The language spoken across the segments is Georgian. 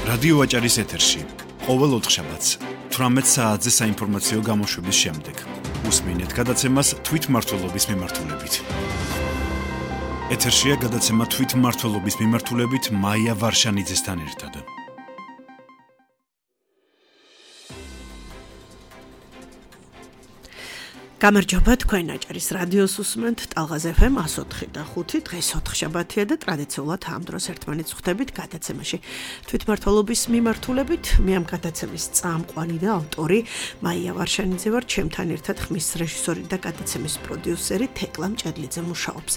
რადიო აჭარის ეთერში ყოველ ოთხშაბათს 18 საათზე საინფორმაციო გამოშვების შემდეგ უსმინეთ გადაცემას თვითმმართველობის მიმართულებით. ეთერშია გადაცემა თვითმმართველობის მიმართულებით მაია ვარშანიძესთან ერთად. გამარჯობა, თქვენ აჭარის რადიოს უსმენთ ტალღაზ FM 104 და 5 დღეს ოთხშაბათია და ტრადიციულად ამ დროს ერთმანეთს ხვდებით გადაცემაში. თვითმმართველობის მიმართულებით მე ამ გადაცემის წამყვანი და ავტორი მაია ვარშანიძე ვარ, ჩემთან ერთად ხმის რეჟისორი და გადაცემის პროდიუსერი თეკლა მჭედლიძე მუშაობს.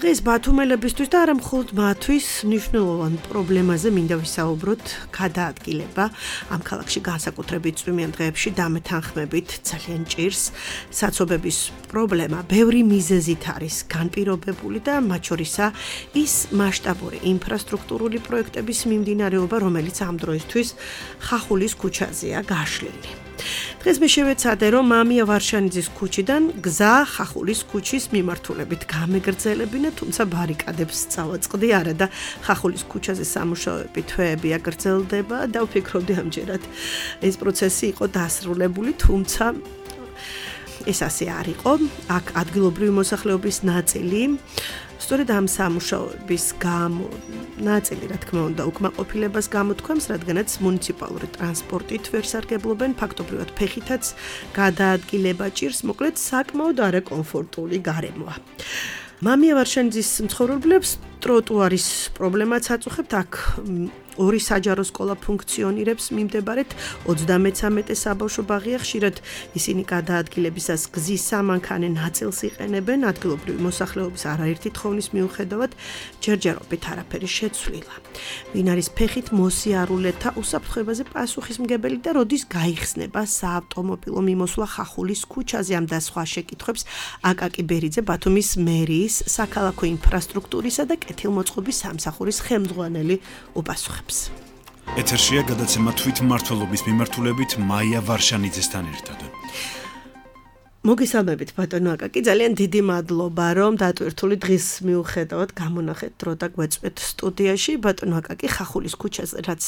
დღეს ბათუმელებისთვის და არა მხოლოდ მათთვის მნიშვნელოვან პრობლემაზე მინდა ვისაუბროთ, გადაადგილება ამ ქალაქში განსაკუთრებით წვიმიან დღეებში დამეთანხმებით ძალიან ჭირს. საცობების პრობლემა ბევრი მიზეზით არის განპირობებული და მათ შორისა ის მასშტაბური ინფრასტრუქტურული პროექტების მიმდინარეობა, რომელიც ამ დროისთვის ხახულის ქუჩაზეა გაშლილი. დღეს მე შევეცადე, რომ მამია ვარშანიძის ქუჩიდან გზა ხახულის ქუჩის მიმართულებით გამეგრძელებინა, თუმცა ბარიკადებს წავაწყდი არა და ხახულის ქუჩაზე სამუშაოები თვეები აგრძელდება და ვფიქრობდი ამჯერად ეს პროცესი იყო დასრულებული, თუმცა ეს ასე არ იყო. აქ ადგილობრივი მოსახლეობის ნაწილი სწორედ ამ სამუშაოების გამო ნაწილი, რა თქმა უნდა, უკმაყოფილებას გამოთქვამს, რადგანაც მუნიციპალური ტრანსპორტით ვერ სარგებლობენ, ფაქტობრივად ფეხითაც გადაადგილება ჭირს, მოკლედ საკმაოდ არაკომფორტული გარემოა. მამია ვარშანიძის მცხოვრებლებს ტროტუარის პრობლემაც აწუხებთ. აქ ორი საჯარო სკოლა ფუნქციონირებს, მიმდებარედ 33 საბავშვო ბაღია, ხშირად ისინი გადაადგილებისას გზის სამანქანე ნაწილს იყენებენ, ადგილობრივი მოსახლეობის არაერთი თხოვნის მიუხედავად ჯერჯერობით არაფერი შეცვლილა. ვინ არის ფეხით მოსიარულეთა უსაფრთხოებაზე პასუხისმგებელი და როდის გაიხსნება საავტომობილო მიმოსვლა ხახულის ქუჩაზე, ამ და სხვა შეკითხვებს აკაკი ბერიძე, ბათუმის მერიის საქალაქო ინფრასტრუქტურისა და კეთილმოწყობის სამსახურის ხელმძღვანელი უპასუხებს. ეთერშია გადაცემა თვითმმართველობის მიმართულებით მაია ვარშანიძესთან ერთად. მოგესალმებით ბატონო აკაკი, ძალიან დიდი მადლობა, რომ დატვირთული დღის მიუხედავად გამონახეთ დრო და გვეწვეთ სტუდიაში. ბატონო აკაკი, ხახულის ქუჩაზე, რაც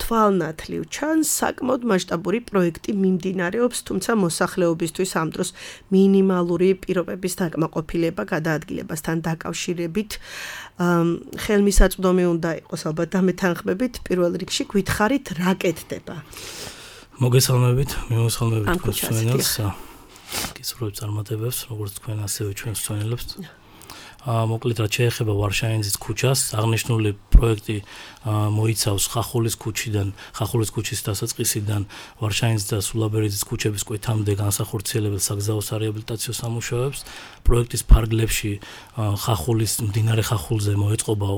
თვალნათლივ ჩანს, საკმაოდ მასშტაბური პროექტი მიმდინარეობს, თუმცა მოსახლეობისთვის ამ დროს მინიმალური პირობების დაკმაყოფილება გადაადგილებასთან დაკავშირებით ხელმისაწვდომი უნდა იყოს ალბათ დამეთანხმებით. პირველ რიგში გითხარით რა კეთდება? მოგესალმებით, მიმოსალმებით გასვენელს. გისურვებ წარმატებებს, როგორც თქვენ ასევე ჩვენ მსწავლებს. მოკლედ რაც შეეხება ვარშანიძის ქუჩას, აღნიშნული პროექტი მოიცავს ხახულის ქუჩიდან, ხახულის ქუჩის დასაწყისიდან ვარშანიძის და სულაბერიძის ქუჩების კვეთამდე განსახორციელებელ საგზაო სარეაბილიტაციო სამუშაოებს. პროექტის ფარგლებში ხახულის მდინარე ხახულზე მოეწყობა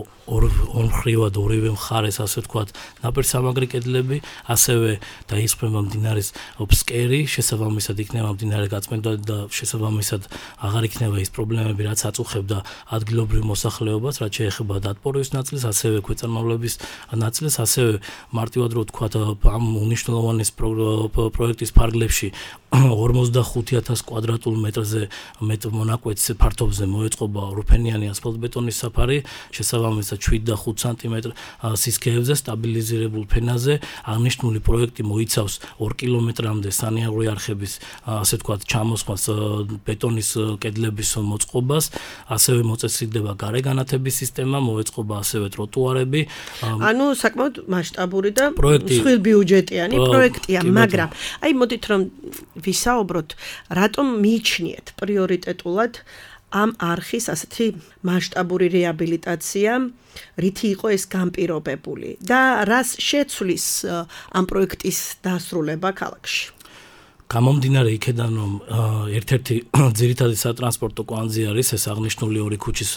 ორმხრივად ორივე მხარეს, ასე ვთქვათ, ნაპირსამაგრი კედლები, ასევე დაისხმება მდინარის ფსკერი, შესაბამისად იქნება მდინარე გაწმენდა და შესაბამისად აღარ იქნება ის პრობლემები, რაც აწუხებდა ადგილობრივ მოსახლეობას, რაც შეეხება დატბორვის ნაწილს, ასევე ქვეწარმავლების ნაწილს, ასევე მარტივად რო ვთქვათ, ამ უნიშნელოვანი პროექტის ფარგლებში 45,000 კვადრატულ მეტრზე მონაკვეთს ფართობზე მოეწყობა რუფენიანი ასფალტბეტონის საფარი, შესაბამისად 7 და 5 სანტიმეტრ სისქეებზე სტაბილიზირებულ ფენაზე. აღნიშნული პროექტი მოიცავს 2 კილომეტრამდე სანიარული არხების, ასე ვთქვათ, ჩამოსხმას, ბეტონის კედლების მოწყობას, ასევე მოწესრიგდება გარეგანათების სისტემა, მოეწყობა ასევე ტროტუარები. ანუ საკმაოდ მასშტაბური და მსხვილბიუჯეტიანი პროექტია, მაგრამ აი მოდით რომ ვისაუბროთ, რატომ მიიჩნიეთ პრიორიტეტულად ამ არხის ასეთი მასშტაბური რეაბილიტაცია, რითი იყო ეს განპირობებული და რას შეცვლის ამ პროექტის დასრულება ქალაქში? გამომდინარე იქედან, რომ ერთ-ერთი ძირითადი სატრანსპორტო კვანძი არის ეს აღნიშნული ორი ქუჩის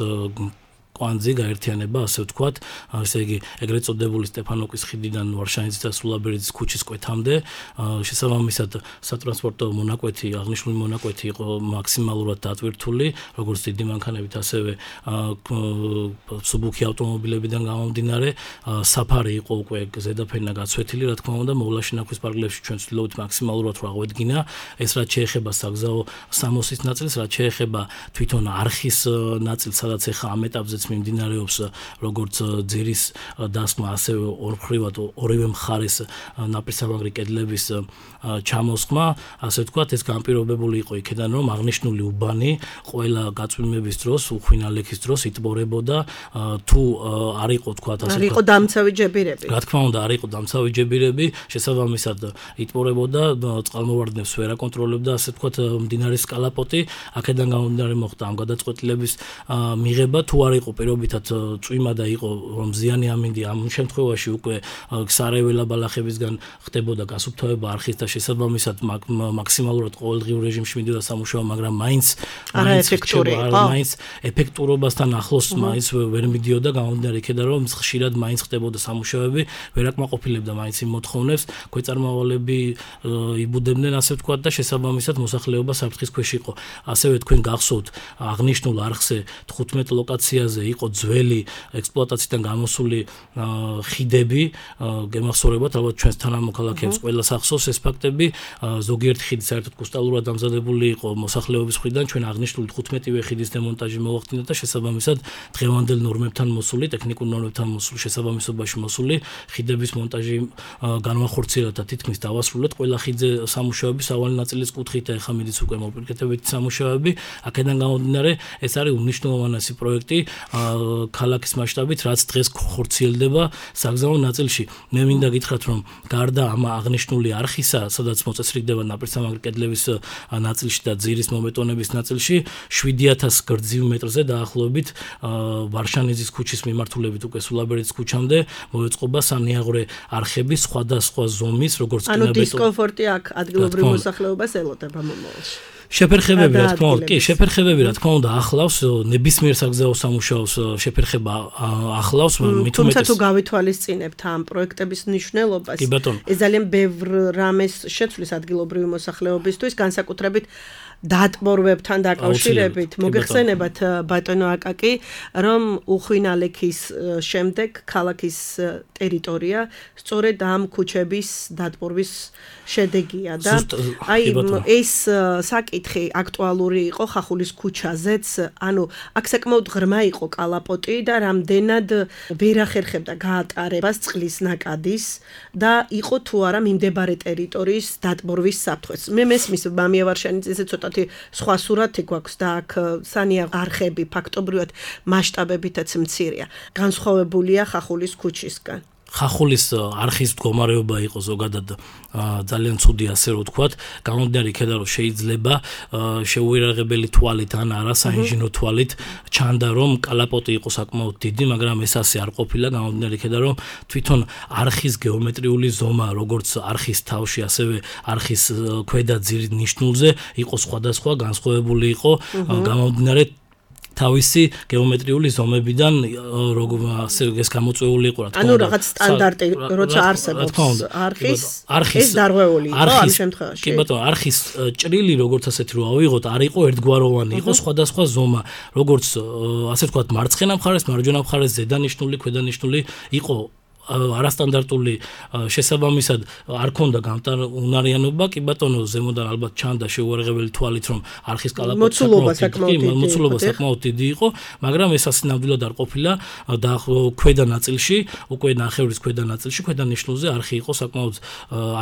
კვანძი გაერთიანება, ასე ვთქვათ, ესე იგი ეგრეთ წოდებული სტეფანოკის ხიდიდან ვარშანიძის და სულაბერიძის ქუჩის კვეთამდე. შესაბამისად სატრანსპორტო მონაკვეთი, აღნიშნული მონაკვეთი იყო მაქსიმალურად დატვირთული, როგორც დიდი მანქანებით, ასევე მსუბუქი ავტომობილებიდან გამომდინარე. საფარი იყო უკვე ზედაფენა გაცვეთილი, რა თქმა უნდა, მოვლაშინახვის პარკლებში ჩვენ ვცდილობთ მაქსიმალურად რა აღედგინა. ეს რაც შეეხება საგზაო სამოსის ნაწილს, რაც შეეხება თვითონ არხის ნაწილს, სადაც ეხა ამ ეტაპზეც მიმდინარეობს როგორც ძირის დასმა, ასევე ორმხრივად ორივე მხარეს ნაპირსამაგრი კედლების ჩამოსხმა, ასე ვთქვათ, ეს განპირობებული იყო იქიდან, რომ აღნიშნული უბანი ყველა გაწვიმების დროს, უხვინალექის დროს იტბორებოდა, თუ არ იყო ვთქვათ, ასე არ იყო დამცავი ჯებირები. რა თქმა უნდა, არ იყო დამცავი ჯებირები, შესაბამისად იტბორებოდა, წყალმოვარდნებს ვერ აკონტროლებდა, ასე ვთქვათ, მდინარის კალაპოტი, აქედან გამომდინარე მოხდა ამ გადაწყვეტილების მიღება, თუ არ იყო პირობითად წვიმა და იყო რომ ზიანი ამინდი, ამ შემთხვევაში უკვე სარეველა ბალახებისგან ხდებოდა გასუფთავება არხის და შესაბამისად მაქსიმალურად ყოველდღიურ რეჟიმში მიდიოდა სამუშაო, მაგრამ მაინც ეფექტურობასთან ახლოს მაინც ვერ მიდიოდა, გამომდინარე იქედან რომ ხშირად მაინც ხდებოდა სამუშაოები, ვერ აკმაყოფილებდა მაინც იმ მოთხოვნებს, ქვეწარმავალები იბუდებდნენ, ასე ვთქვათ, და შესაბამისად მოსახლეობა საფრთხის ქვეშ იყო. ასევე თქვენ გახსოვთ, აღნიშნულ არხზე 15 ლოკაციაზე იყო ძველი ექსპლუატაციიდან გამოსული ხიდები, გემახსოვრებათ, ალბათ ჩვენს თანამოქალაქეებს ყველას ახსოვს ეს ფაქტები, ზოგიერთი ხიდი საერთოდ კუსტალურად დამზადებული იყო მოსახლეობის მხრიდან, ჩვენ აღნიშნული 15-ვე ხიდის დემონტაჟი მოახდინა და შესაბამისად დღევანდელ ნორმებთან მოსული, ტექნიკურ ნორმებთან მოსული, შესაბამისობაში მოსული ხიდების მონტაჟი განვახორციელდა და თითქმის დავასრულეთ ყველა ხიდზე სამუშაოები, სავალი ნაწილის კუთხით და ეხლა მიდიც უკვე მოპირკეთებითი სამუშაოები. აქედან გამომდინარე, ეს არის უმნიშვნელოვანესი პროექტი ქალაქის მასშტაბით, რაც დღეს ხორციელდება საგზავნო ნაწილში. მე მინდა გითხრათ, რომ გარდა ამ აღნიშნული არხისა, სადაც მოწესრიგდება ნაპირსამაგრი კედლების ნაწილში და ძირის მომეტონების ნაწილში, 7000 გრძივ მეტრზე დაახლოებით ვარშანიძის ქუჩის მიმართულებით უკვე სულაბერეთის ქუჩამდე მოეწყობა სანიაღვრე არხების სხვადასხვა ზომის, როგორც ანუ დისკომფორტი აქ ადგილობრივ მოსახლეობას ელოდება მომავალში. შეფერხებები, რა თქმა უნდა, კი, შეფერხებები, რა თქმა უნდა, ახლავს ნებისმიერ საგზაო სამუშაოს შეფერხება ახლავს, თუმცა თუ გავითვალისწინებთ ამ პროექტების მნიშვნელობას, ეს ძალიან ბევრ რამეს შეცვლის ადგილობრივი მოსახლეობისთვის, განსაკუთრებით დატბორვებთან დაკავშირებით. მოგეხსენებათ ბატონო აკაკი, რომ უხვინალექის შემდეგ ქალაქის ტერიტორია სწორედ ამ ქუჩების დატბორვის შედეგია და აი ეს საკითხი აქტუალური იყო ხახულის ქუჩაზეც, ანუ აქ საკმაოდ ღრმა იყო კალაპოტი და რამდენად ვერ ახერხებდა გაატარებას წყლის ნაკადის და იყო თუ არა მიმდებარე ტერიტორიის დატბორვის საფრთხეს. მე მესმის მამია ვარშანიძეზე ცოტა სხვა სურათი გვაქვს და აქ სანიაღვრე არხები ფაქტობრივად მასშტაბებითაც მცირეა. განსხვავებულია ხახულის ქუჩისგან. ხახულის არხის მდგომარეობა იყო ზოგადად ძალიან ცუდი, ასე რომ ვთქვათ, გამომდინარე იქედან რომ შეიძლება შეუერაღებელი თვალით ან არა საინჟინრო თვალით ჩანდა რომ კალაპოტი იყო საკმაოდ დიდი, მაგრამ ეს ასე არ ყოფილა, გამომდინარე იქედან რომ თვითონ არხის გეომეტრიული ზომა, როგორც არხის თავში, ასევე არხის ქვედა ძირის ნიშნულზე იყო სხვადასხვა, განსხვავებული იყო, გამომდინარე თავისი გეომეტრიული ზომებიდან ასე ეს გამოწვეული იყო, რა თქმა უნდა. ანუ რაღაც სტანდარტი, როცა არსებობს არხის ეს დარღვეული იყო ამ შემთხვევაში. კი ბატონო, არხის ჭრილი, როგორც ასეთი რო ავიღოთ, არ იყო ერთგვაროვანი, იყო სხვადასხვა ზომა, როგორც ასე ვთქვათ, მარცხენა მხარეს, მარჯვენა მხარეს ზედანიშნული, ქვედანიშნული იყო არასტანდარტული, შესაბამისად არ ქონდა გამტარუნარიანობა, კი ბატონო, ზემოდან ალბათ ჩანდა შეუერაღებელი თვალით, რომ არხის კალაპოტი მოცულობა საკმაოდ დიდი იყო, მაგრამ ეს ასე ნამდვილად არ ყოფილა და ქვედა ნაწილში, უკვე ნახევრის ქვედა ნაწილში, ქვედა ნიშნულზე არხი იყო საკმაოდ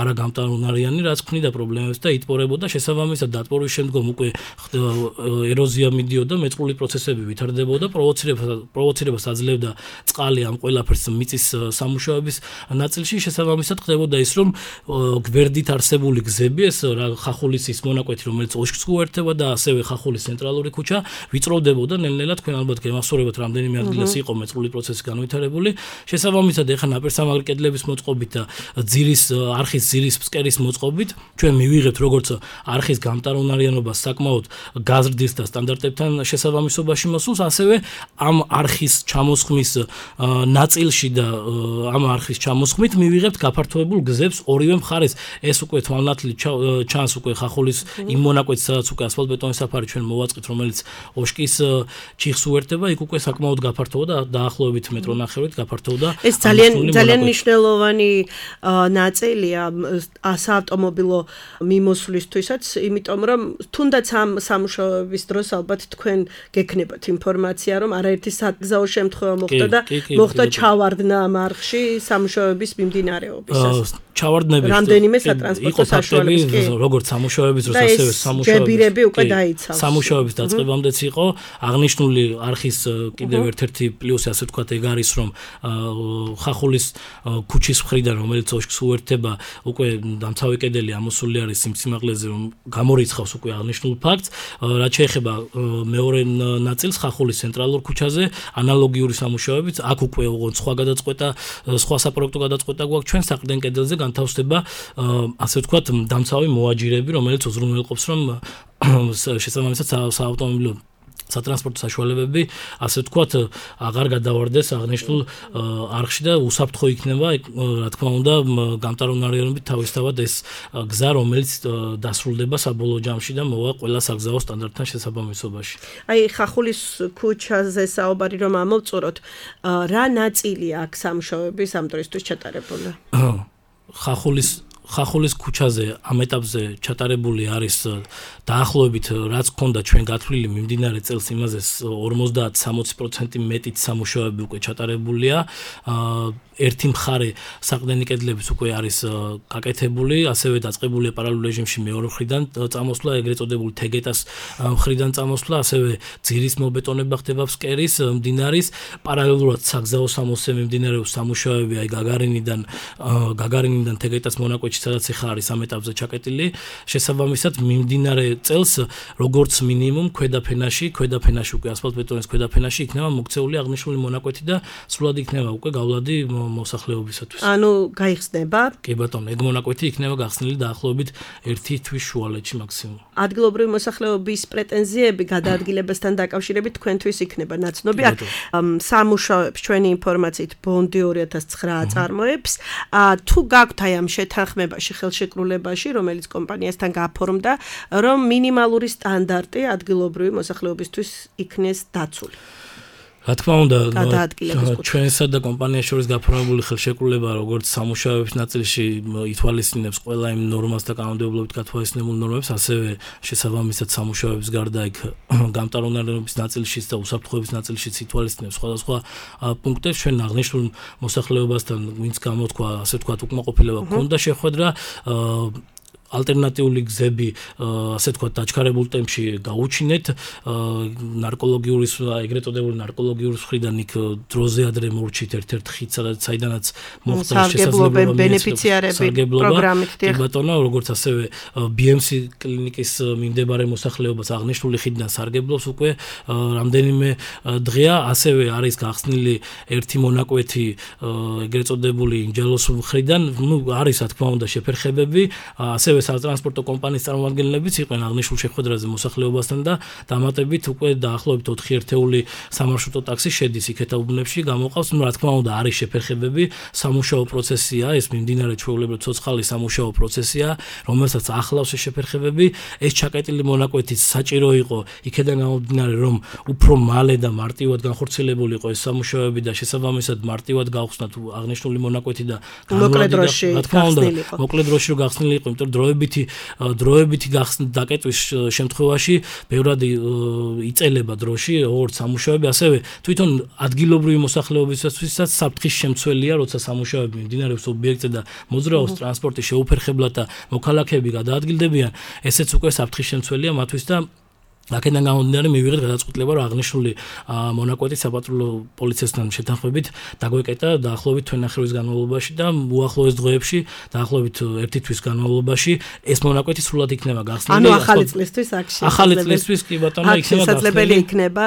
არაგამტარუნარიანი, რაც ქმნიდა პრობლემებს და იტბორებოდა, შესაბამისად დატბორვის შემდგომ უკვე ეროზია მიდიოდა, მეწყრული პროცესები ვითარდებოდა, პროვოცირებას აძლევდა წყალი ამ ყველაფერს მიწის სამუშაოების ნაწილში, შესაბამისად ხდებოდა ის, რომ გვერდით არსებული გზები, ეს ხახულის ის მონაკვეთი, რომელიც ოშკს უერთდება და ასევე ხახულის ცენტრალური ქუჩა ვიწროვდებოდა ნელ-ნელა, თქვენ ალბათ გემახსოვრებათ, რამდენიმე ადგილას იყო მეწყრული პროცესი განვითარებული. შესაბამისად ეხლა ნაპირსამაგრი კედლების მოწყობით და არხის ძირის ფსკერის მოწყობით ჩვენ მივიღებთ როგორც არხის გამტარუნარიანობას საკმაოდ გაზრდის და სტანდარტებთან შესაბამისობაში მოსულს, ასევე ამ არხის ჩამოსხმის ნაწილში და ამ არხის ჩამოსხმით მივიღებთ გაფართოებულ გზებს ორივე მხარეს. ეს უკვე თვალნათლი ჩანს უკვე ხახულის იმ მონაკვეთს, სადაც უკვე ასფალტბეტონის საფარი ჩვენ მოვაწყით, რომელიც ოშკის ჩიხს უერთდება, იქ უკვე საკმაოდ გაფართოვდა, დაახლოებით მეტრო ნახევრით გაფართოვდა. ეს ძალიან მნიშვნელოვანი ნაწილია საავტომობილო მიმოსვლისთვისაც, იმიტომ რომ თუნდაც ამ სამუშაოების დროს ალბათ თქვენ გექნებათ ინფორმაცია, რომ არაერთი საგზაო შემთხვევა მოხდა და მოხდა ჩავარდნა ამ არხში სამუშაოების მიმდინარეობისას. ჩავარდნები რამდენიმე სატრანსპორტო საშუალების კი როგორც სამუშაოების დროს ასევე სამუშაოები უკვე დაიცავს. სამუშაოების დაწყებამდეც იყო აღნიშნული არხის კიდევ ერთ-ერთი პლუსი, ასე ვთქვათ, ეგ არის, რომ ხახულის ქუჩის მხრიდან, რომელიც ოშკს უერთდება, უკვე დამცავი კედელი ამოსული არის იმ სიმაღლეზე, რომ გამორიცხავს უკვე აღნიშნულ ფაქტს. რაც შეეხება მეორე ნაწილს, ხახულის ცენტრალურ ქუჩაზე, ანალოგიური სამუშაოებით, აქ უკვე ოღონდ სხვა გადაწყვეტა, სხვა საპროექტო გადაწყვეტა გვაქვს ჩვენ საყრდენ კედელზე განთავსდება, ასე ვთქვათ, დამცავი მოაჯირები, რომელიც უზრუნველყოფს, რომ შესაბამისად საავტომობილო სატრანსპორტო საშუალებები, ასე ვთქვათ, აღარ გადავარდეს აღნიშნულ არხში და უსაფრთხო იქნება, რა თქმა უნდა, გამტარუნარიანობით თავისთავად ეს გზა, რომელიც დასრულდება საბოლოო ჯამში და მოვა ყველა საგზაო სტანდარტთან შესაბამისობაში. აი, ხახულის ქუჩაზე საუბარი რომ ამოვწუროთ, რა ნაწილია აქ სამუშაოების ამ დროისთვის ჩატარებული? ხახულის ქუჩაზე ამ ეტაპზე ჩატარებული არის დაახლოებით რაც გქონდა ჩვენ გათვლილი მიმდინარე წელს იმაზე 50-60% მეტით სამუშაოები უკვე ჩატარებულია. ერთი მხარე საყრდენი კედლების უკვე არის გაკეთებული, ასევე დაწყებულია პარალელურ რეჟიმში მეორე მხრიდან წამოსვლა, ეგრეთ წოდებული თეგეტას მხრიდან წამოსვლა, ასევე ძირის მობეტონება ხდება ფსკერის, მდინარის, პარალელურად საგზაო სამოსზე მიმდინარეობს სამუშაოები, აი გაგარინიდან თეგეტას მონაკვეთში, სადაც ახლა არის ამ ეტაპზე ჩაკეტილი. შესაბამისად, მიმდინარე წელს როგორც მინიმუმ ქვედაფენაში უკვე ასფალტბეტონის ქვედაფენაში იქნება მოქცეული აღნიშნული მონაკვეთი და სრულად იქნება უკვე გავლადი მოსახლეობისათვის. ანუ გაიხსნება? კი ბატონო, ეგ მონაკვეთი იქნება გახსნილი დაახლოებით 1 თვის შუალედში მაქსიმუმ. ადგილობრივი მოსახლეობის პრეტენზიები გადაადგილებასთან დაკავშირებით თქვენთვის იქნება ნაცნობი. აქ სამუშაოებს ჩვენი ინფორმაციით ბონდი 2009 წარმოებს. თუ გაქვთ აი ამ შეთანხმებაში, ხელშეკრულებაში, რომელიც კომპანიასთან გაფორმდა, რომ მინიმალური სტანდარტი ადგილობრივი მოსახლეობისთვის იქნეს დაცული. რა თქმა უნდა, ჩვენსა და კომპანიას შორის გაფორმებული ხელშეკრულება, როგორც სამუშაოების ნაწილში ითვალისწინებს ყველა იმ ნორმას და კანონმდებლობით გათვალისწინებულ ნორმებს, ასევე შესაბამისად სამუშაოების გარდა იქ გამტარუნარიანობის ნაწილშიც და უსაფრთხოების ნაწილშიც ითვალისწინებს სხვადასხვა პუნქტებს. ჩვენ აღნიშნულ მოსახლეობასთან, ვინც გამოთქვა, ასე ვთქვათ, უკმაყოფილება ჰქონდა შეხვედრა, ალტერნატიული გზები, ასე ვთქვათ, დაჩქარებულ ტემპში გაუჩინეთ, ნარკოლოგიური, ეგრეთ წოდებული ნარკოლოგიური მხრიდან იქ დროზე ადრე მორჩით ერთ-ერთ ხიდს, საიდანაც მოხდა შესაძლებლობა ბენეფიციარები პროგრამით. კი ბატონო, როგორც ასევე BMC კლინიკის მიმდებარე მოსახლეობას აღნიშნული ხიდიდან სარგებლობს უკვე რამდენიმე დღეა, ასევე არის გახსნილი ერთი მონაკვეთი ეგრეთ წოდებული ინჯელოს მხრიდან, არის რა თქმა უნდა შეფერხებები, ასევე სატრანსპორტო კომპანიის წარმომადგენლებიც იყვნენ აღნიშნულ შეხვედრაზე მოსახლეობასთან და დამატებით უკვე დაახლოებით 4 ერთეული სამარშრუტო ტაქსი შედის იქეთა უბნებში, გამოყავს, რა თქმა უნდა, არის შეფერხებები, სამუშაო პროცესია, ეს მიმდინარე ჩვეულებრივ ცოცხალი სამუშაო პროცესია, რომელსაც ახლავს ეს შეფერხებები, ეს ჩაკეტილი მონაკვეთიც საჭირო იყო, იქედან გამომდინარე, რომ უფრო მალე და მარტივად განხორციელებული იყო ეს სამუშაოები და შესაბამისად მარტივად გავხსნა თუ აღნიშნული მონაკვეთი და მოკლე დროში, რა თქმა უნდა, მოკლე დროში რო გახსნილი იყო, იმიტომ რომ დროებითი დაკეტვის შემთხვევაში ბევრად იწელება დროში, როგორც სამუშაოები, ასევე თვითონ ადგილობრივი მოსახლეობისთვისაც საფრთხის შემცველია, როცა სამუშაოები მიმდინარეობს ობიექტზე და მოძრაობს ტრანსპორტი შეუფერხებლად და მოქალაქეები გადაადგილდებიან, ესეც უკვე საფრთხის შემცველია მათთვის და აქედან გამომდინარე მივიღეთ გადაწყვეტილება, რომ აღნიშნული მონაკვეთი საპატრულო პოლიციასთან შეთანხმებით დაგვეკეტა დაახლოებით თვენახევრის განმავლობაში და უახლოეს დღეებში, დაახლოებით 1 თვის განმავლობაში ეს მონაკვეთი სრულად იქნება გახსნილი. ანუ ახალი წლისთვის აქ ახალი წლისთვის კი ბატონო იქნება შესაძლებელი იქნება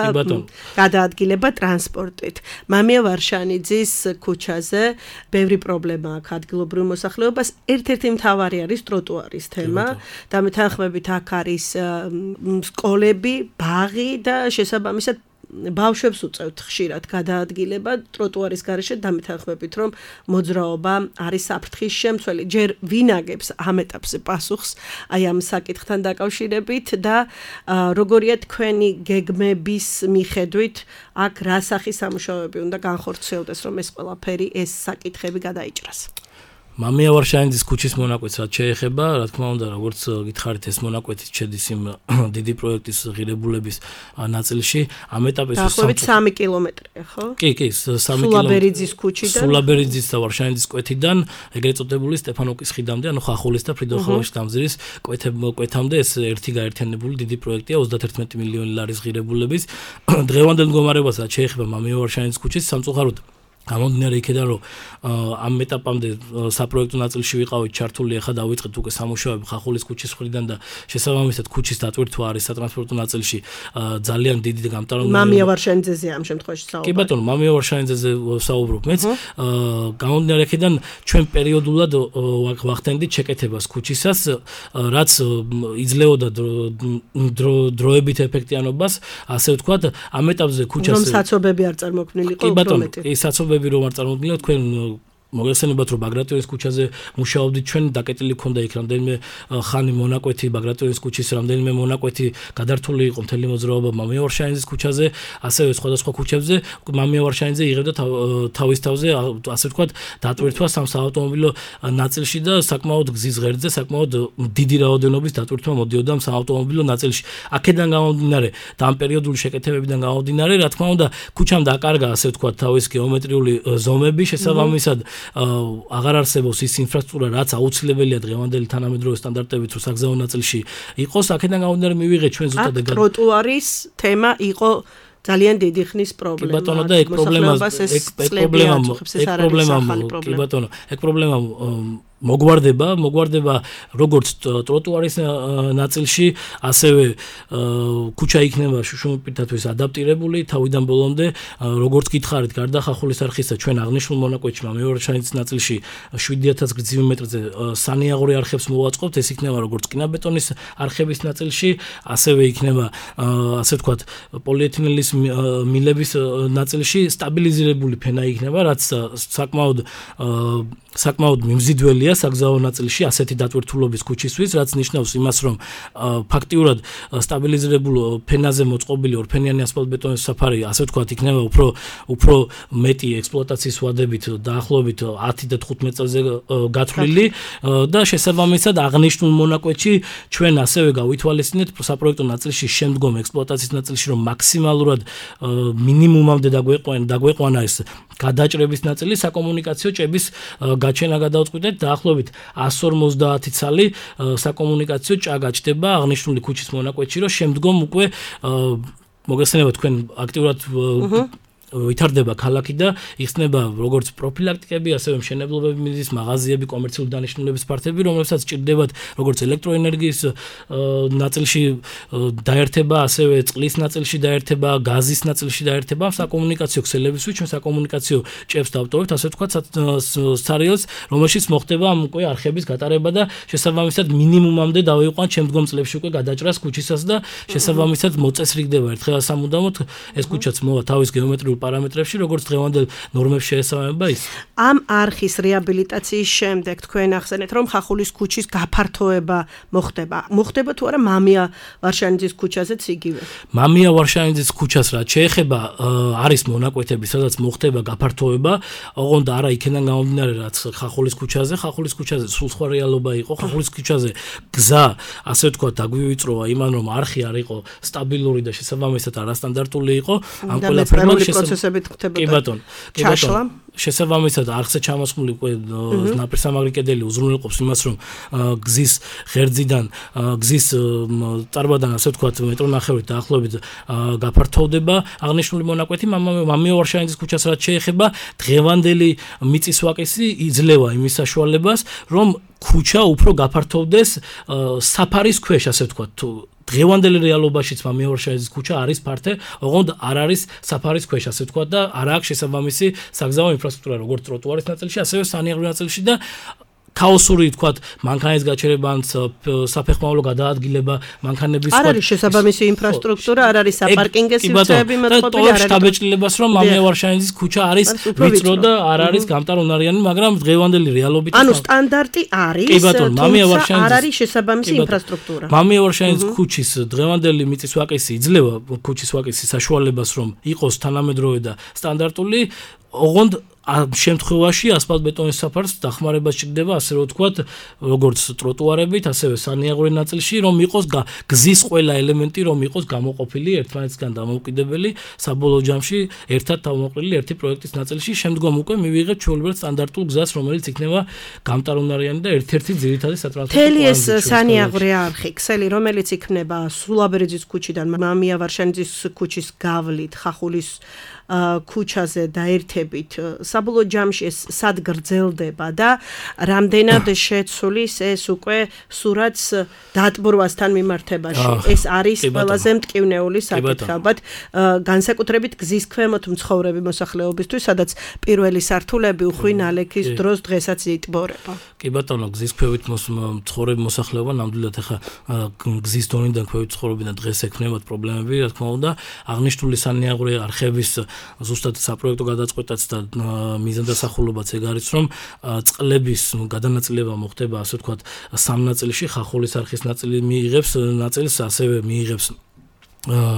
გადაადგილება ტრანსპორტით. მამია ვარშანიძის ქუჩაზე ბევრი პრობლემა აქვს ადგილობრივ მოსახლეობას. ერთ-ერთი მთავარი არის ტროტუარის თემა. დამეთანხმებით აქ არის სკოლები, ბაღი და შესაბამისად ბავშვებს უწევთ ხშირად გადაადგილება ტროტუარის გარეშე დამეთანხმებით რომ მოძრაობა არის საფრთხის შემცველი. ჯერ ვინაგებს ამ ეტაპზე პასუხს აი ამ საკითხთან დაკავშირებით და როგორია თქვენი გეგმების მიხედვით აქ რა სახის სამუშაოები უნდა განხორციელდეს რომ ეს ყველაფერი ეს საკითხები გადაიჭრას. მამია ვარშაინიძის ქუჩის მონაკვეთს რაც შეეხება, რა თქმა უნდა, როგორც გითხარით, ეს მონაკვეთი შედის იმ დიდი პროექტის ღირებულების ნაწილში. ამ ეტაპის დაახლოებით 3 კილომეტრია, ხო? კი, 3 სულაბერიძის ქუჩიდან. სულაბერიძის და ვარშაინიძის კვეთიდან, ეგრეთ წოდებული სტეფანოვკის ხიდამდე, ანუ ხახულის და ფრიდრიხოვის დამზირის კვეთამდე ეს ერთი გაერთიანებული დიდი პროექტია 31 მილიონი ლარის ღირებულების. დღევანდელ მდგომარეობას რაც შეეხება მამია ვარშაინიძის ქუჩის სამწუხაროდ გამომდინარე იქიდან რომ ამ ეტაპამდე საპროექტო ნაწილში ვიყავით ჩართული, ახლა დავიწყეთ უკვე სამუშაოები ხახულის ქუჩის მხრიდან და შესაბამისად ქუჩის დატვირთვა არის სატრანსპორტო ნაწილში ძალიან დიდი და გამტარუნებელი. მამია ვარშაინიძეზე ამ შემთხვევაში საუბარი. კი ბატონო, მამია ვარშაინიძეზე ვსაუბრობ. მეც გამომდინარე იქიდან ჩვენ პერიოდულად ვახდენდით შეკეთებას ქუჩისას, რაც იძლეოდა დროებით ეფექტიანობას, ასე ვთქვათ, ამ ეტაპზე ქუჩას რომ საცობები არ წარმოქმნილიყო უფრო მეტი. კი საცობები რომ არ წარმოქმნილა თქვენ მოგეხსენებათ რომ ბაგრატიონის ქუჩაზე მუშაობდით ჩვენ დაკეტილი ქონდა იქ რამდენიმე ხანი მონაკვეთი ბაგრატიონის ქუჩის რამდენიმე მონაკვეთი გადართული იყო მთელი მოძრაობა მამია ვარშაინიძის ქუჩაზე ასევე სხვადასხვა ქუჩებზე მამია ვარშაინიძე იღებდა თავის თავზე ასე ვთქვათ დატვირთვა სამ საავტომობილო ნაწილში და საკმაოდ გზის ღერძზე საკმაოდ დიდი რაოდენობის დატვირთვა მოდიოდა საავტომობილო ნაწილში აქედან გამომდინარე და ამ პერიოდული შეკეთებებიდან გამომდინარე რა თქმა უნდა ქუჩამ დაკარგა ასე ვთქვათ თავის გეომეტრიული ზომები შესაბამისად აღარ არსებობს ის ინფრასტრუქტურა, რაც აუცილებელია დღევანდელი თანამედროვე სტანდარტებით რო საგზაო ნაწილში იყოს, აქედან გამომდინარე მივიღეთ ჩვენ ზუსტად ეგ ტროტუარის თემა იყო ძალიან დიდი ხნის პრობლემა. კი ბატონო და ეგ პრობლემა მოგვარდება როგორც ტროტუარის ნაწილში, ასევე ქუჩა იქნება შუშუმპირთათვის ადაპტირებული თავიდან ბოლომდე, როგორც გითხარით, გარდა ხახულის არხისა, ჩვენ აღნიშნულ მონაკვეთში მამია ვარშაინიძის ნაწილში 7000 გრძივი მეტრზე სანიაღორი არხებს მოვაწყობთ, ეს იქნება როგორც კინაბეტონის არხების ნაწილში, ასევე იქნება ასე ვთქვათ, პოლიეთილენის მილების ნაწილში სტაბილიზირებული ფენა იქნება, რაც საკმაოდ მიმზიდველია საგზაო ნაწილში ასეთი დატვირთულობის ქუჩისთვის, რაც ნიშნავს იმას, რომ ფაქტიურად სტაბილიზირებულ ფენაზე მოწყობილი ორფენიანი ასფალტბეტონის საფარი, ასე ვთქვათ, იქნება უფრო მეტი ექსპლუატაციის ვადებით დაახლოებით 10 და 15 წელზე გათვლილი და შესაბამისად აღნიშნულ მონაკვეთში ჩვენ ასევე გავითვალისწინეთ საპროექტო ნაწილში შემდგომ ექსპლუატაციის ნაწილში, რომ მაქსიმალურად მინიმუმამდე დაგვეყვანა ეს გადაჭრების ნაწილი საკომუნიკაციო ჭების გაჩენა გადავწყვიტეთ დაახლოებით 150 ცალი საკომუნიკაციო ჭა გაჩნდება აღნიშნული ქუჩის მონაკვეთში, რომ შემდგომ უკვე მოგესწრება თქვენ აქტიურად ვითარდება ქალაქი და იხსნება როგორც პროფილაქტიკები, ასევე მშენებლობები, მიზის მაღაზიები, კომერციული დანიშნულების პარტები, რომლებსაც ჭირდებათ როგორც ელექტროენერგიის ნაწილში დაერთება, ასევე წყლის ნაწილში დაერთება, გაზის ნაწილში დაერთება, საკომუნიკაციო ქსელებისთვის, ჩვენ საკომუნიკაციო ჭებს დავტოვებთ, ასე ვთქვათ, სარიელს, რომელშიც მოხდება უკვე არხების გატარება და შესაბამისად მინიმუმამდე დავიყვანთ შემდგომ წლებში უკვე გადაჭრას ქუჩისას და შესაბამისად მოწესრიგდება ერთხელ სამუდამოდ ეს ქუჩაც მოვა თავის გეომეტრიულ პარამეტრებში, როგორც დღევანდელ ნორმებს შეესაბამება ის. ამ არხის რეაბილიტაციის შემდეგ თქვენ ახსენეთ, რომ ხახულის ქუჩის გაფართოება მოხდება თუ არა მამია ვარშაინიძის ქუჩაზეც იგივე? მამია ვარშაინიძის ქუჩას რაც შეეხება, არის მონაკვეთები, სადაც მოხდება გაფართოება, ოღონდ არა იქიდან გამომდინარე, რაც ხახულის ქუჩაზე სულ სხვა რეალობა იყო, ხახულის ქუჩაზე გზა, ასე ვთქვათ, დაგვივიწროვა იმან, რომ არხი არ იყო სტაბილური და შესაბამისად არასტანდარტული იყო, ამ ყველაფერმა პროცესებით ხდებოდა. კი ბატონო. შესაბამისად არხზე ჩამოსხმული უკვე ნაპირსამაგრი კედელი უზრუნველყოფს იმას, რომ გზის ღერძიდან, გზის წარბადან, ასე ვთქვათ, მეტრონახევრით დაახლოებით გაფართოვდება აღნიშნული მონაკვეთი. მამია ვარშაინიძის ქუჩას რაც შეეხება, დღევანდელი მიწის ვაკისი იძლევა იმის საშუალებას, რომ ქუჩა უფრო გაფართოვდეს საფარის ქვეშ, ასე ვთქვათ, თუ დღევანდელი რეალობაშიც მამია ვარშაინიძის ქუჩა არის ფართე, ოღონდ არ არის საფარის ქვეშ, ასე ვთქვათ და არ აქვს შესაბამისი საგზაო ინფრასტრუქტურა, როგორც ტროტუარის ნაწილში, ასევე სანიაღრევი ნაწილში და ქაოსური თქვათ მანქანის გაჩერება ან საფეხმავლო გადაადგილება მანქანების არ არის შესაბამისი ინფრასტრუქტურა, არ არის საპარკინგო სივრცეები მოწყობილი, არ არის შტაბეჭდილებას რომ მამია ვარშანიძის ქუჩა არის ვიწრო და არ არის გამტარუნარიანი, მაგრამ დღევანდელი რეალობით ანუ სტანდარტი არის, თუმცა არ არის შესაბამისი ინფრასტრუქტურა. მამია ვარშანიძის ქუჩის დღევანდელი მიწის ვაკისი იძლევა ქუჩის ვაკისის საშუალებას რომ იყოს თანამედროვე და სტანდარტული, ოღონდ ამ შემთხვევაში ასფალტბეტონის საფარს დახმარება სჭირდება, ასე რომ ვთქვათ, როგორც ტროტუარებით, ასევე სანიაღვრე ნაწილში, რომ იყოს გზის ყველა ელემენტი, რომ იყოს გამოყოფილი ერთმანეთისგან დამოუკიდებელი, საბოლოო ჯამში ერთად თავმოყრილი ერთი პროექტის ნაწილში, შემდგომ უკვე მივიღებთ ჩვეულებრივ სტანდარტულ გზას, რომელიც იქნება გამტარუნარიანი და ერთ-ერთი ძირითადი სატრანსპორტო კვანძი. თელი ეს სანიაღვრე არხი, ქსელი, რომელიც იქნება სულაბერეძის ქუჩიდან მამია ვარშანიძის ქუჩის გავლით, ხახულის ქუჩაზე დაერთებით საბოლოო ჯამში ეს სად გრძელდება და რამდენად შეცვლის ეს უკვე სურათს დატბორვასთან მიმართებაში. ეს არის ყველაზე მტკივნეული საკითხი. ალბათ განსაკუთრებით გზის ქვემოთ მცხოვრები მოსახლეობისთვის, სადაც პირველი სართულები უხვი ნალექის დროს დღესაც იტბორება. კი ბატონო, გზის ქვევით მცხოვრები მოსახლეობა ნამდვილად ახლა გზის დონიდან ქვევით ცხოვრობიდან დღეს ექნებათ პრობლემები, რა თქმა უნდა, აღნიშნული სანიაღვრე არხების ზუსტად საპროექტო გადაწყვეტაც და მიზანდასახულობაც ეგ არის, რომ წყლების გადანაწილება მოხდება, ასე ვთქვათ, სამ ნაწილში, ხახულის არხის ნაწილი მიიღებს ნაწილს, ასევე მიიღებს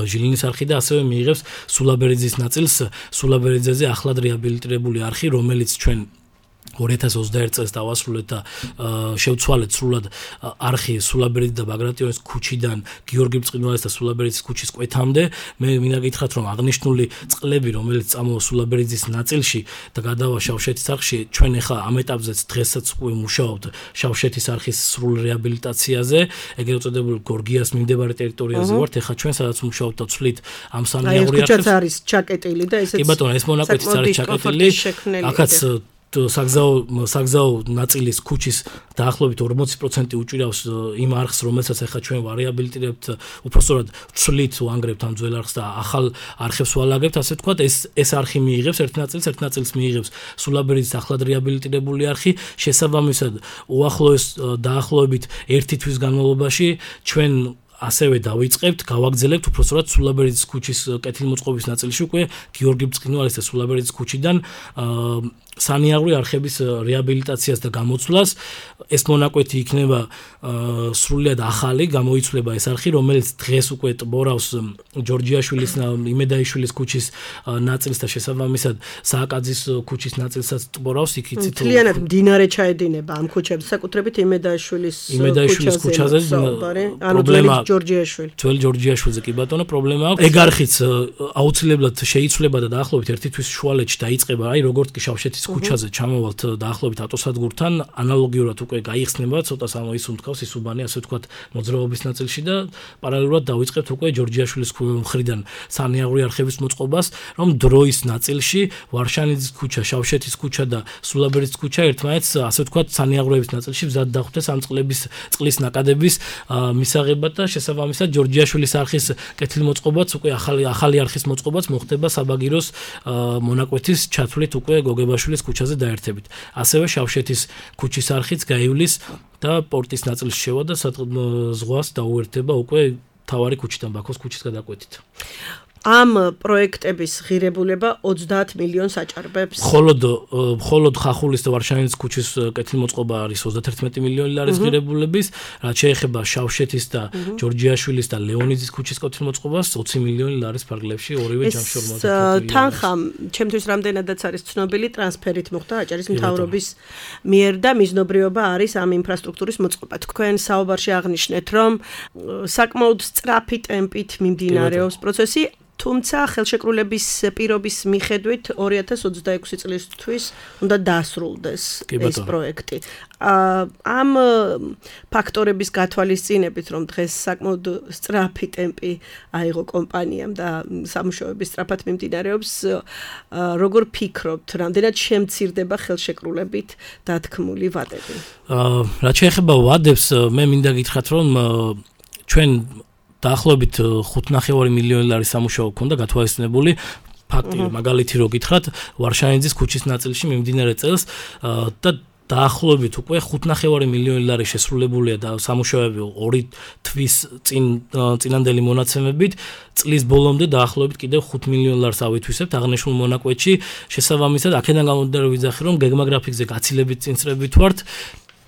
ჟილინის არხი და ასევე მიიღებს სულაბერეძის ნაწილს, სულაბერეძეზე ახლად რეაბილიტირებული არხი, რომელიც ჩვენ 2021 წელს დავასრულეთ და შევცვალეთ სრულად არხი სულაბერეძის და ბაგრატიონის ქუჩიდან გიორგი ბრწყინვალის და სულაბერეძის ქუჩის კვეთამდე. მე მინდა გითხრათ, რომ აღნიშნული წყლები, რომელიც წამოვა სულაბერეძის ნაწილში და გადავა შავშეთის არხში, ჩვენ ახლა ამ ეტაპზეც დღესაც უკვე მუშაობთ შავშეთის არხის სრულ რეაბილიტაციაზე, ეგრეთ წოდებული გორგიას მიმდებარე ტერიტორიაზე ვართ. ახლა ჩვენ სადაც მუშაობთ და ვცვლით ამ სანიაღვრე არხებს. ეს არის ჩაკეტილი და ესეც. კი ბატონო, ეს მონაკვეთიც არის ჩაკეტილი. აქაც საგზაო ნაწილის ქუჩის დაახლოებით 40% უჭირავს იმ არხს, რომელსაც ახლა ჩვენ ვარეაბილიტირებთ, უпростоრად ვცვლით, ვანგრებთ ამ ძველ არხს და ახალ არხებს ვალაგებთ, ასე ვთქვათ, ეს არხი მიიღებს ერთ ნაწილს მიიღებს სულაბერეძის ახლად რეაბილიტირებული არხი, შესაბამისად უახლოეს დაახლოებით 1 თვის განმავლობაში ჩვენ ასევე დავიწყებთ, გავაგრძელებთ უпростоრად სულაბერეძის ქუჩის კეთილმოწყობის ნაწილში უკვე გიორგი ბრწყინვალის და სულაბერეძის ქუჩიდან სანიაღვრე არხების რეაბილიტაციას და გამოცვლას. ეს მონაკვეთი იქნება სრულიად ახალი, გამოიცვლება ეს არხი, რომელიც დღეს უკვე ტბორავს ჯორჯიაშვილის, იმედაიშვილის ქუჩის ნაწილს და შესაბამისად სააკაძის ქუჩის ნაწილსაც ტბორავს. იქ იცით მთლიანად მდინარე ჩაედინება ამ ქუჩებს, საკუთრებით იმედაიშვილის ქუჩაზე. პრობლემა ჯორჯიაშვილი. ძველი ჯორჯიაშვილზე კი ბატონო, პრობლემა აქვს. ეგ არხიც აუცილებლად შეიცვლება და დაახლოებით 1 თვის შუალედში დაიწყება, აი როგორც კი შავშეთის ქუჩაზე ჩამოვალთ დაახლოებით ავტოსადგურთან, ანალოგიურად უკვე გაიხსნება, ცოტა სამოისუნთქავს ისუბანი, ასე ვთქვათ, მოძრაობის ნაწილში და პარალელურად დავიწყებთ უკვე ჯორჯიაშვილის მხრიდან სანიაღვრე არხების მოწყობას, რომ დროის ნაწილში ვარშანიძის ქუჩა, შავშეთის ქუჩა და სულაბერეძის ქუჩა ერთმანეთს, ასე ვთქვათ, სანიაღვრეების ნაწილში მზად დახვდეს ამ წყლის ნაკადების მისაღებად და შესაბამისად ჯორჯიაშვილის არხის კეთილმოწყობაც უკვე ახალი არხის მოწყობაც მოხდება საბაგიროს მონაკვეთის ჩათვლით უკვე გოგებაშვილის ქუჩაზე დაერთებით. ასევე შავშეთის ქუჩის არხიც გაივლის და პორტის ნაწილში შევა და ზღვას დაუერთდება უკვე თავარი ქუჩიდან ბაქოს ქუჩის გადაკვეთით. ამ პროექტების ღირებულება 30 მილიონს აჭარბებს. მხოლოდ ხახულის და ვარშანიძის ქუჩის კეთილმოწყობა არის 31 მილიონი ლარის ღირებულების, რაც შეეხება შავშეთის და ჯორჯიაშვილის და ლეონიძის ქუჩის კეთილმოწყობას 20 მილიონი ლარის ფარგლებში ორივე ჯამში 50 თანხა, ჩემთვის რამდენადაც არის ცნობილი, ტრანსფერით მოხდა აჭარის მთავრობის მიერ და მიზნობრიობა არის ამ ინფრასტრუქტურის მოწყობა. თქვენ საუბარში აღნიშნეთ, რომ საკმაოდ სწრაფი ტემპით მიმდინარეობს პროცესი. თუმცა ხელშეკრულების პირობის მიხედვით 2026 წლისთვის უნდა დასრულდეს ეს პროექტი. ამ ფაქტორების გათვალისწინებით, რომ დღეს საკმაოდ სწრაფი ტემპი აიღო კომპანიამ და სამუშაოები სწრაფად მიმდინარეობს, როგორ ფიქრობთ, რამდენად შემცირდება ხელშეკრულებით დათქმული ვადები? რაც შეეხება ვადებს, მე მინდა გითხრათ, რომ ჩვენ დაახლოებით 5.5 მილიონი ლარის სამუშაო ქონდა გათვალისწინებული. ფაქტი მაგალითი რო გითხრათ, ვარშანიძის ქუჩის ნაწილში მიმდინარე წელს და დაახლოებით უკვე 5.5 მილიონი ლარი შესრულებულია და სამუშაოები 2 თვის წინანდელი მონაცემებით წლის ბოლომდე დაახლოებით კიდევ 5 მილიონ ლარს ავითვისებთ აღნიშნულ მონაკვეთში. შესაბამისად, აქედან გამომდინარე ვიძახი, რომ გეგმა გრაფიკზე გაცილებით წინწრებით ვართ.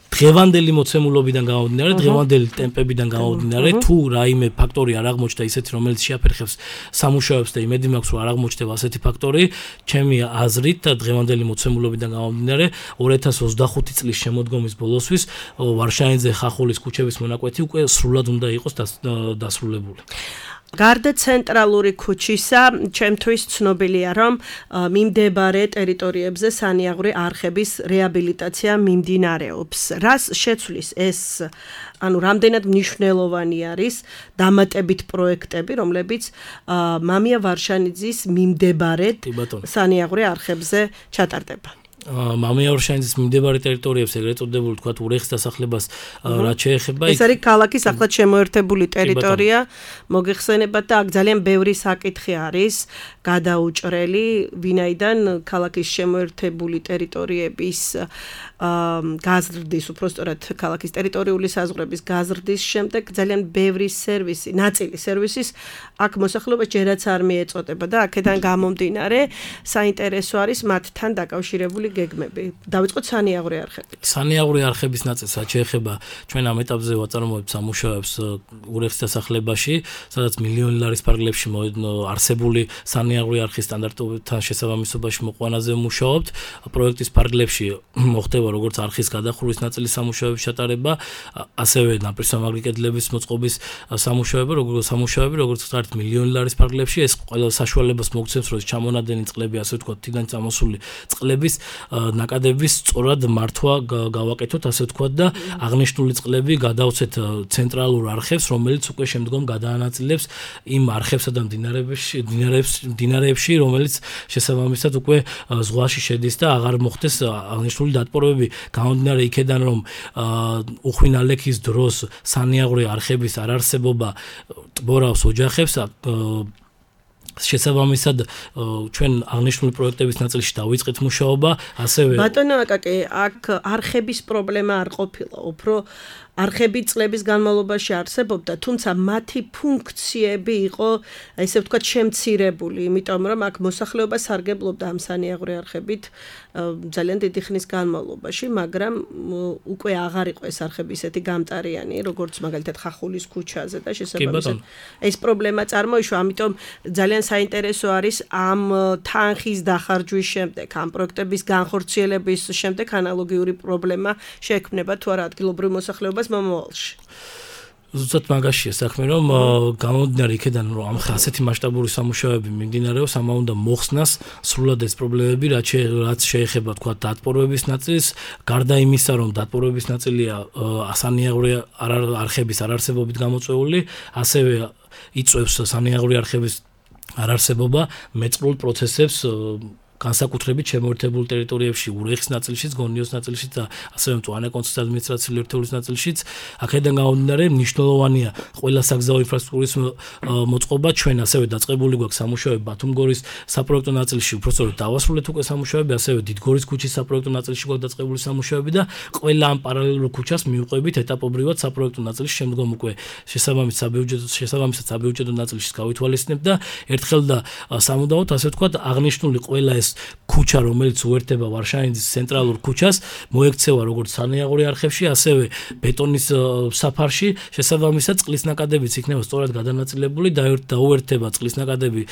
დღევანდელი მოცემულობიდან გამომდინარე, დღევანდელი ტემპებიდან გამომდინარე, თუ რაიმე ფაქტორი არ აღმოჩნდა ისეთი, რომელიც შეაფერხებს სამუშაოებს და იმედი მაქვს, რომ არ აღმოჩნდება ასეთი ფაქტორი, ჩემი აზრით და დღევანდელი მოცემულობიდან გამომდინარე, 2025 წლის შემოდგომის ბოლოსთვის ვარშაინზე ხახულის ქუჩების მონაკვეთი უკვე სრულად უნდა იყოს დასრულებული. გარდა ცენტრალური ქუჩისა, ჩემთვის ცნობილია, რომ მიმდებარე ტერიტორიებზე სანიაღვრე არხების რეაბილიტაცია მიმდინარეობს. რას შეცვლის ეს, რამდენად მნიშვნელოვანი არის დამატებით პროექტები, რომლებიც მამია ვარშანიძის მიმდებარე სანიაღვრე არხებზე ჩატარდება. მამია ვარშანიძის მიმდებარე ტერიტორიებს, ეგრეთ წოდებული, თქვათ, ურეხის დასახლებას რაც შეეხება. ეს არის ქალაქის ახლად შემოერთებული ტერიტორია, მოგეხსენებათ და აქ ძალიან ბევრი საკითხი არის გადაუჭრელი, ვინაიდან ქალაქის შემოერთებული ტერიტორიების გაზრდის, უпростоრად ქალაქის ტერიტორიული საზღვრების გაზრდის შემდეგ ძალიან ბევრი სერვისი, ნაწილი სერვისის აქ მოსახლეობას ჯერაც არ მიეწოდება და აქედან გამომდინარე საინტერესო არის მათთან დაკავშირებული გეგმები. დავიწყოთ სანიაღვრე არხებით. სანიაღვრე არხების ნაწილს რაც შეეხება ჩვენ ამ ეტაპზე ვაწარმოებთ სამუშაოებს ურეხის დასახლებაში, სადაც მილიონი ლარის ფარგლებში არსებული სანიაღვრე არხის სტანდარტებთან შესაბამისობაში მოყვანაზე ვმუშაობთ. პროექტის ფარგლებში მოხდება როგორც არხის გადახურვის ნაწილის სამუშაოების ჩატარება, ასევე ნაპირსამაგრი კედლების მოწყობის სამუშაოები, როგორც ვთქვათ, მილიონი ლარის ფარგლებში ეს ყველა საშუალებას მოგცემს, რომ ჩამონადენი წყლები, ასე ვთქვათ, თიდან წამოსული წყლების ნაკადების სწორად მართვა გავაკეთოთ, ასე ვთქვათ და აღნიშნული წყლები გადავცეთ ცენტრალურ არხებს, რომელიც უკვე შემდგომ გადაანაწილებს იმ არხებსა და მდინარეებში, რომელიც შესაბამისად უკვე ზღვაში შედის და აღარ მოხდეს აღნიშნული დატბორებები. გამომდინარე იქედან, რომ უხვინალექის დროს სანიაღვრე არხების არარსებობა ტბორავს ოჯახებს, შესაბამისად ჩვენ აღნიშნული პროექტების ნაწილში დავიწყეთ მუშაობა, ასევე ბატონო აკაკი, აქ არხების პრობლემა არ ყოფილა, უფრო არხები წლების განმავლობაში არსებობდა, თუმცა მათი ფუნქციები იყო, ესე ვთქვათ, შემცირებული, იმიტომ რომ აქ მოსახლეობა სარგებლობდა ამ სანიაღვრე არხებით ძალიან დიდი ხნის განმავლობაში, მაგრამ უკვე აღარ იყო ეს არხები ისეთი გამტარიანი, როგორც მაგალითად ხახულის ქუჩაზე და შესაბამისად ეს პრობლემა წარმოიშვა, ამიტომ ძალიან საინტერესო არის ამ თანხის დახარჯვის შემდეგ, ამ პროექტების განხორციელების შემდეგ ანალოგიური პრობლემა შეექმნება თუ არა ადგილობრივ მოსახლეობას მომავალში. ზუსტად მაგაშია საქმე, რომ გამომდინარე იქედან, რომ ამ ასეთი მასშტაბური სამუშაოები მიმდინარეობს, ამა უნდა მოხსნას სრულად ეს პრობლემები, რაც შეეხება თქვა დატბორებების ნაწილს, გარდა იმისა, რომ დატბორებების ნაწილია სანიაღვრე არხების არარსებობით გამოწვეული, ასევე იწვევს სანიაღვრე არხების არარსებობა მეწყრულ პროცესებს განსაკუთრებით შემოერთებულ ტერიტორიებში, ურეხის ნაწილშიც, გონიოს ნაწილშიც და ასევე მწვანე კონცენტრაციის ადმინისტრაციული ერთეულის ნაწილშიც, აქედან გამომდინარე მნიშვნელოვანია ყველა საგზაო ინფრასტრუქტურის მოწყობა, ჩვენ ასევე დაწყებული გვაქვს სამუშაოები ბათუმგორის საპროექტო ნაწილში, უბრალოდ დავასრულეთ უკვე სამუშაოები, ასევე დიდგორის ქუჩის საპროექტო ნაწილში გვაქვს დაწყებული სამუშაოები და ყველა ამ პარალელურ ქუჩას მივყვებით ეტაპობრივად საპროექტო ნაწილში, შემდგომ უკვე შესაბამისად საბიუჯეტო ნაწილში გავითვალისწინებთ და ერთხელ და სამუდამოდ, ასე ვთქვათ, აღნიშნული ყველა ეს ქუჩა, რომელიც უერთდება ვარშაინძის ცენტრალურ ქუჩას, მოექცევა როგორც სანიაღვრე არხებში, ასევე ბეტონის საფარში, შესაბამისად წყლის ნაკადებიც იქნება სწორად გადანაწილებული და დაუერთდება წყლის ნაკადები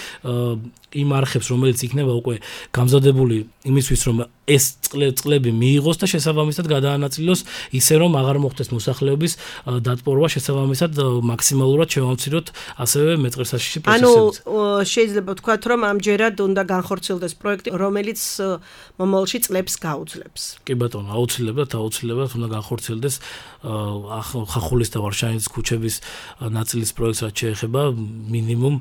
იმ არხებს, რომელიც იქნება უკვე გამზადებული იმისთვის, რომ ეს წყლები მიიღოს და შესაბამისად გადაანაწილოს ისე, რომ აღარ მოხდეს მოსახლეობის დატბორვა, შესაბამისად მაქსიმალურად შევამციროთ ასევე მეწყერსაშიში პროცესებს. ანუ შეიძლება ვთქვათ, რომ ამჯერად უნდა განხორციელდეს პროექტი, რომელიც მომავალში წლებს გაუძლებს. კი ბატონო, აუცილებლად უნდა განხორციელდეს ხახულის და ვარშაინძის ქუჩების ნაწილის პროექტს, რაც შეეხება მინიმუმ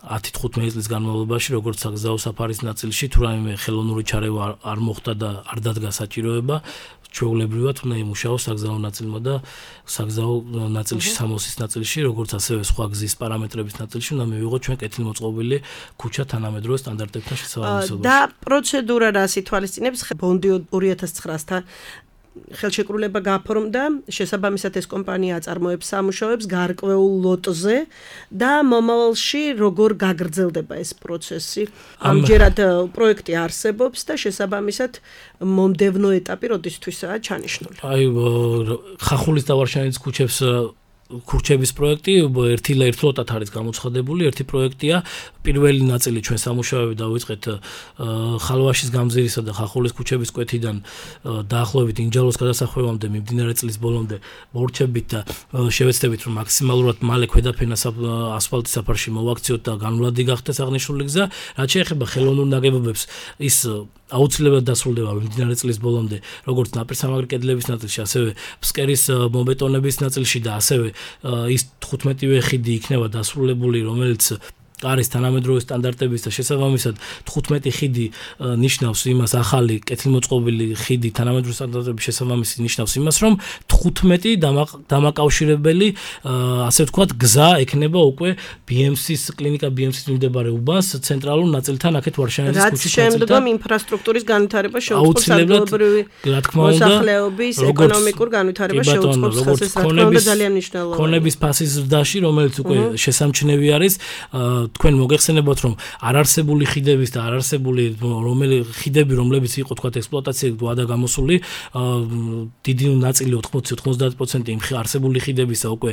10-15 წლის განმავლობაში, როგორც საგზაო საფარის ნაწილში, თუ რაიმე ხელოვნური ჩარევა არ მოხდა და არ დადგა საჭიროება, ჩვეულებრივად უნდა იმუშაოს საგზაო ნაწილმა და საგზაო ნაწილში სამოსის ნაწილში, როგორც ასევე სხვა გზის პარამეტრების ნაწილში უნდა მივიღოთ ჩვენ კეთილმოწყობილი ქუჩა თანამედროვე სტანდარტებთან შესაბამისობაში. და პროცედურა რას ითვალისწინებს? ბონდი 2009-თან ხელშეკრულება გაფორმდა, შესაბამისად ეს კომპანია აწარმოებს სამუშაოებს გარკვეულ ლოტზე და მომავალში როგორ გაგრძელდება ეს პროცესი? ამჯერად პროექტი არსებობს და შესაბამისად მომდევნო ეტაპი როდისთვისაა ჩანიშნული? აი ხახულის და ვარშავინის ქუჩების პროექტი ერთლოტად არის გამოცხადებული. ერთი პროექტია, პირველი ნაწილი ჩვენ სამუშაოები დავიწყეთ ხალვაშის გამზირისა და ხახულის ქუჩების კვეთიდან დაახლოებით ინჯალოს გადასახვევამდე მიმდინარე წლის ბოლომდე მორჩებით და შევეცდებით რომ მაქსიმალურად მალე ქვედაფენას ასფალტის საფარში მოვაქციოთ და განვლადი გახდეს აღნიშნული გზა. რაც შეეხება ხელოვნურ ნაგებობებს, ის აუცილებლად დასრულდება მიმდინარე წლის ბოლომდე, როგორც ნაპირსამაგრი კედლების ნაწილში, ასევე ფსკერის მომბეტონების ნაწილში და ასევე ის 15-ვე ხიდი იქნება დასრულებული, რომელიც არის თანამედროვე სტანდარტების და შესაბამისად 15 ხიდი ნიშნავს იმას, ახალი კეთილმოწყობილი ხიდი თანამედროვე სტანდარტების შესაბამისი ნიშნავს იმას, რომ 15 დამაკავშირებელი ასე ვთქვათ გზა ექნება უკვე BMC-ს კლინიკა BMC-ს მიმდებარე უბანს ცენტრალურ ნაწილთან აქეთ ვარშავინის ქუჩის ნაწილთან. რაც შემდგომ ინფრასტრუქტურის განვითარება შეუწყობს ადგილობრივი მოსახლეობის ეკონომიკურ განვითარებას შეუწყობს ხალხის რა თქმა უნდა ძალიან მნიშვნელოვანია. ქონების ფასის ზრდაში, რომელიც უკვე შესამჩნევი არის, თქვენ მოგეხსენებათ რომ არარსებული ხიდების და არარსებული ხიდები რომლებიც იყო თქვათ ექსპლუატაციაზე გვადა გამოსული დიდი ნაწილი 80-90% იმ არსებული ხიდებისა უკვე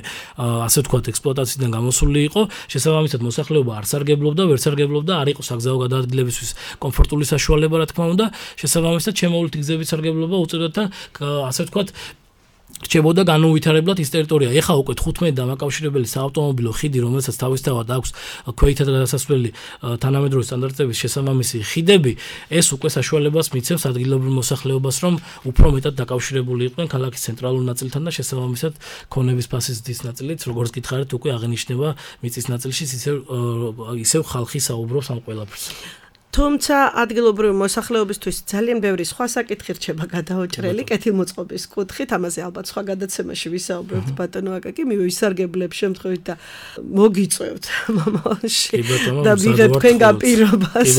ასე ვთქვათ ექსპლუატაციიდან გამოსული იყო შესაბამისად მოსახლეობა არ სარგებლობდა ვერ სარგებლობდა არ იყო საგზაო გადაადგილებისთვის კომფორტული საშუალება რა თქმა უნდა შესაბამისად შემოვლითი გზების სარგებლობა უწევდათ და ასე ვთქვათ რჩებოდა განუვითარებლად ის ტერიტორია. ეხა უკვე 15 დამაკავშირებელი საავტომობილო ხიდი, რომელსაც თავისთავად აქვს ქვეითად გადასასვლელი თანამედროვე სტანდარტების შესაბამისი ხიდები, ეს უკვე საშუალებას მიცემს ადგილობრივ მოსახლეობას, რომ უფრო მეტად დაკავშირებული იყვნენ ქალაქის ცენტრალურ ნაწილთან და შესაბამისად ქონების ფასის ზრდის ნაწილიც, როგორც გითხარით, უკვე აღინიშნება მიწის ნაწილში, ისევ ხალხი საუბრობს ამ ყველაფერს. თუმცა ადგილობრივი მოსახლეობისთვის ძალიან ბევრი სხვა საკითხი რჩება გადაოჭრელი კეთილმოწყობის კუთხით, ამაზე ალბათ სხვა გადაცემაში ვისაუბრებთ ბატონო აკაკი, მივისარგებლებ შემთხვევით და მოგიწევთ მომავალში და ვიღებ თქვენგან პირობას,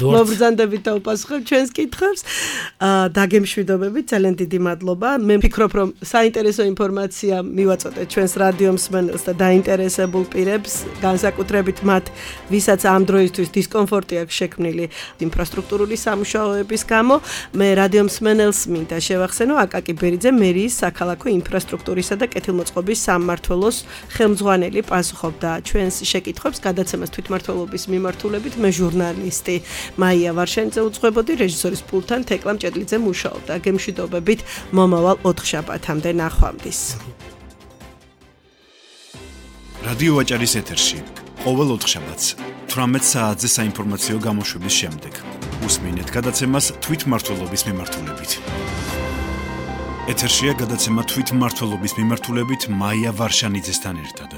მობრძანდებით და უპასუხებ ჩვენს კითხვებს. დაგემშვიდობებით, ძალიან დიდი მადლობა. მე ვფიქრობ, რომ საინტერესო ინფორმაცია მივაწოდეთ ჩვენს რადიო მსმენელს და დაინტერესებულ პირებს, განსაკუთრებით მათ, ვისაც ამ დროისთვის დისკომფორტი აქვს შექმნილი ინფრასტრუქტურული სამუშაოების გამო. მე რადიო მსმენელს მინდა შევახსენო აკაკი ბერიძე მერიის საქალაქო ინფრასტრუქტურისა და კეთილმოწყობის სამმართველოს ხელმძღვანელი პასუხობდა ჩვენს შეკითხვებს გადაცემას თვითმმართველობის მიმართულებით. მე ჟურნალისტი მაია ვარშენიძე უძღვებოდი, რეჟისორის პულტთან თეკლა მჭედლიძე მუშაობდა. გემშვიდობებით მომავალ 4 შაბათამდე ნახვამდის. რადიო ვაჭარის ეთერში ყოველ 4 შაბათს 18 საათზე საინფორმაციო გამოშვების შემდეგ უსმინეთ გადაცემას თვითმმართველობის მიმართულებით. ეთერშია გადაცემა თვითმმართველობის მიმართულებით მაია ვარშანიძესთან ერთად.